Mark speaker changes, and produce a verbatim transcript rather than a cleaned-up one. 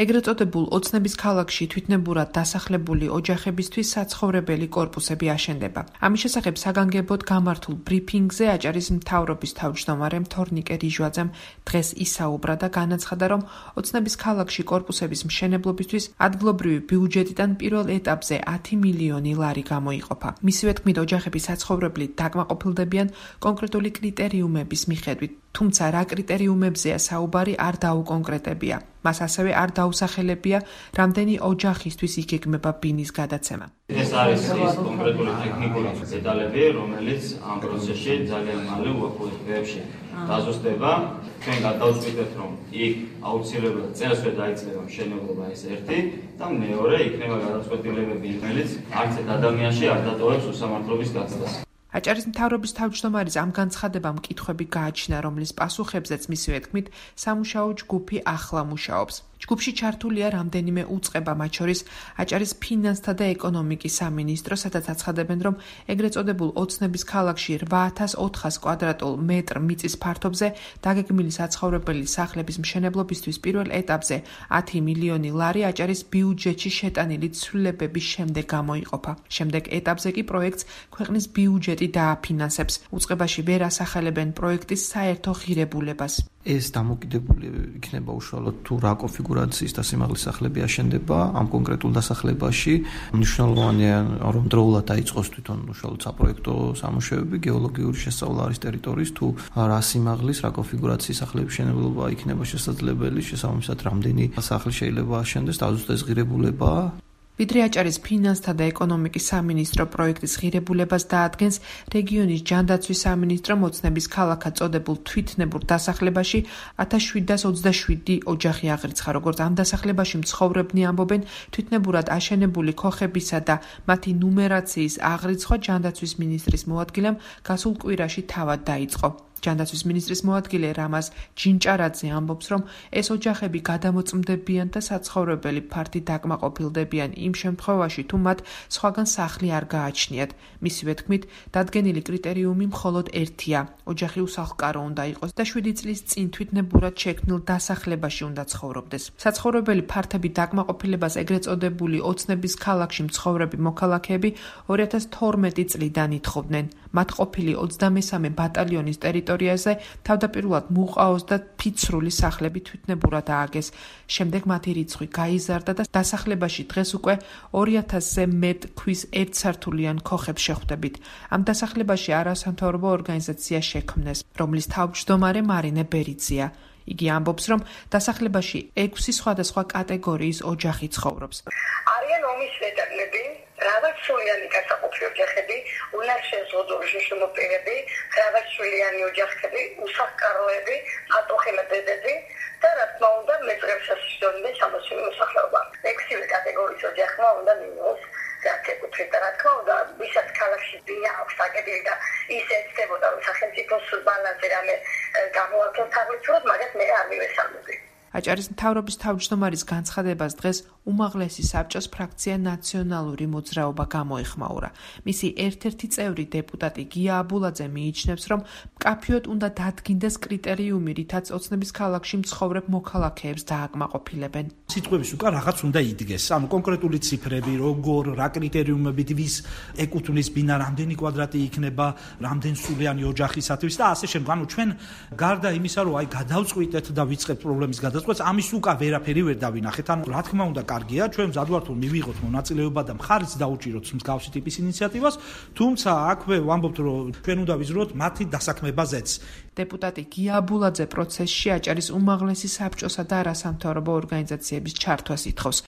Speaker 1: ეგრეთ წოდებულ ოცნების ქალაქში თვითნებურად დასახლებული ოჯახებისთვის საცხოვრებელი კორპუსები აშენდება. ამის შესახებ საგანგებოდ გამართულ ბრიფინგზე აჭარის მთავრობის თავმჯდომარე თორნიკე რიჟვაძემ დღეს ისაუბრა და განაცხადა, რომ ოცნების ქალაქში კორპუსების მშენებლობისთვის ადგილობრივი ბიუჯეტიდან პირველ ეტაპზე ათი მილიონი ლარი გამოიყოფა. მისივე თქმით, ოჯახები საცხოვრებლით დაკმაყოფილდებიან კონკრეტული კრიტერიუმების მიხედვით, თუმცა რა კრიტერიუმებზეა საუბარი არ დაუკონკრეტებია. მას ასევე არ დაუსახელებია, რამდენი ოჯახისთვის იგეგმება ბინის გადაცემა.
Speaker 2: ეს არის ის კონკრეტული ტექნიკური დეტალები, რომელიც ამ პროცესში ძალიან მალე უახლოეს დღეებში დაზუსტება. ჩვენ გადავწყვიტეთ, რომ იქ აუცილებლად წელსვე დაიწყება მშენებლობა, ეს ერთი და მეორე იქნება გადაწყვეტილებები, რომელიც არც ერთ ადამიანში არ დატოვებს უსამართლობის გაცდას.
Speaker 1: აჭარის მთავრობის თავმჯდომარის ამ განცხადებამ მკითხვები გააჩნია, რომლის პასუხებზეც მისივე თქმით, სამუშაო ჯგუფი ახლა მუშაობს. ჯგუფში ჩართულია რამდენიმე უწყება, მათ შორის აჭარის ფინანსთა და ეკონომიკის სამინისტრო, სადაც აცხადებენ, რომ ეგრეთ წოდებულ ოცნების ქალაქში რვა ათას ოთხას კვადრატულ მეტრ მიწის ფართობზე დაგეგმილი საცხოვრებელი სახლების მშენებლობისთვის პირველ ეტაპზე ათი მილიონი ლარი აჭარის ბიუჯეტში შეტანილი ცვლილებების შემდეგ გამოიყოფა. შემდეგ ეტაპზე კი პროექტს ქვეყნის ბიუჯეტი დააფინანსებს. უწყებაში ვერ ასახელებენ პროექტის საერთო ღირებულებას.
Speaker 3: ეს დამოკიდებული იქნება უშუალოდ თუ რა კონფიგურაციის და სიმაღლის სახლები აშენდება ამ კონკრეტულ დასახლებაში. მნიშვნელოვანია, რომ დროულად დაიწყოს თვითონ უშუალოდ საპროექტო სამუშაოები, გეოლოგიური შესწავლა არის ტერიტორიის, თუ რა სიმაღლის, რა კონფიგურაციის სახლების მშენებლობა იქნება შესაძლებელი, შესაბამისად რამდენი სახლი შეიძლება აშენდეს, დაზუსტეს ღირებულება.
Speaker 1: ვიდრე აჭარის ფინანსთა და ეკონომიკის სამინისტრო პროექტის ღირებულებას დაადგენს, რეგიონის ჯანდაცვის სამინისტრომ ოცნების ქალაქად წოდებულ თვითნებურ დასახლებაში ათას შვიდას ოცდაშვიდი ოჯახი აღრიცხა. როგორც ამ დასახლებაში მცხოვრებნი ამბობენ, თვითნებურად აშენებული ქოხებისა და მათი ნუმერაციის აღრიცხვა ჯანდაცვის მინისტრის მოადგილემ გასულ კვირაში თავად დაიწყო. ჯანდაცვის მინისტრის მოადგილე რამაზ ჯინჭარაძე ამბობს, რომ ეს ოჯახები გადამოწმდებიან და საცხოვრებელი ფართი დაკმაყოფილდებიან იმ შემთხვევაში, თუ მათ სხვაგან სახლი არ გააჩნიათ. მისივე თქმით, დადგენილი კრიტერიუმი მხოლოდ ერთია: ოჯახი უსახლკარო უნდა იყოს და შვიდი წლის წინ თვითნებურად შექმნილ დასახლებაში უნდა ცხოვრობდეს. საცხოვრებელი ფართები დაკმაყოფილებას ეგრეთ წოდებული ოცნების ქალაქში მცხოვრები მოქალაქეები ორი ათას თორმეტი წლიდან ითხოვდნენ. მათ ყოფილი ოცდამესამე ბატალიონის ტერიტორიაზე თავდაპირველად მუყაოს და ფიცრული სახლები თვითნებურად ააგეს. შემდეგ მათი რიცხვი გაიზარდა და დასახლებაში დღეს უკვე ორი ათასზე მეტ ქვის ერთსართულიან ქოხებს შეხვდებით. ამ დასახლებაში არასამთავრობო ორგანიზაცია შექმნეს, რომლის თავმჯდომარე მარინე ბერიძეა. იგი ამბობს, რომ დასახლებაში ექვსი სხვადასხვა კატეგორიის ოჯახი ცხოვრობს.
Speaker 4: არიან ომის ვეტერნები, მრავალშვილიანი გასაყოფი ოჯახები, უნარშეზღუდული შიშმოპირები, მრავალშვილიანი ოჯახები, უსახლკაროები, ატოხელებედები და რა თქმა უნდა მეწრებსასაშორისო სამოსული მოსახლეობა. ექვსივე კატეგორიის ოჯახმა უნდა მიიღოს გასაკუთრებით და რა თქმა უნდა, ვისაც ქალაქში ბინა აქვს აგებული და ის ეცდებოდა, რომ სახელმწიფოს ბალანსი რამე გამოაქვეყნოს თაღლითურად, მაგას მე არ მივესალმები.
Speaker 1: აჭარის მთავრობის თავმჯდომარის განცხადებას დღეს უმაღლესი საბჭოს ფრაქცია ნაციონალური მოძრაობა გამოეხმაურა. მისი ერთ-ერთი წევრი დეპუტატი გია აბულაძე მიიჩნევს, რომ მკაფიოდ უნდა დადგინდეს კრიტერიუმი, რითაც ოცნების ქალაქში მცხოვრებ მოქალაქეებს დააკმაყოფილებენ.
Speaker 5: სიტყვების უკან რაღაც უნდა იდგეს. ანუ კონკრეტული ციფრები, როგორ, რა კრიტერიუმებით ვის ეკუთვნის ბინა, რამდენი კვადრატი იქნება, რამდენსულიანი ოჯახისათვის და ასე შემდეგ. ანუ ჩვენ გარდა იმისა, რომ აი გადავწყვიტეთ და ვიწყებთ პრობლემის გადაწყვეტას, ამის უკან ვერაფერი ვერ დავინახეთ. ანუ რა თქმა უნდა, კარგია, ჩვენ მზად ვართ რომ მივიღოთ მონაწილეობა და მხარიც დაუჭიროთ მსგავსი ტიპის ინიციატივას, თუმცა აქვე ვამბობთ, რომ ჩვენ უნდა ვიზროთ მათი დასაქმებაზეც.
Speaker 1: დეპუტატი გია აბულაძე პროცესში აჭარის უმაღლესი საბჭოსა და არასამთავრობო ორგანიზაციების ჩართვას ითხოვს.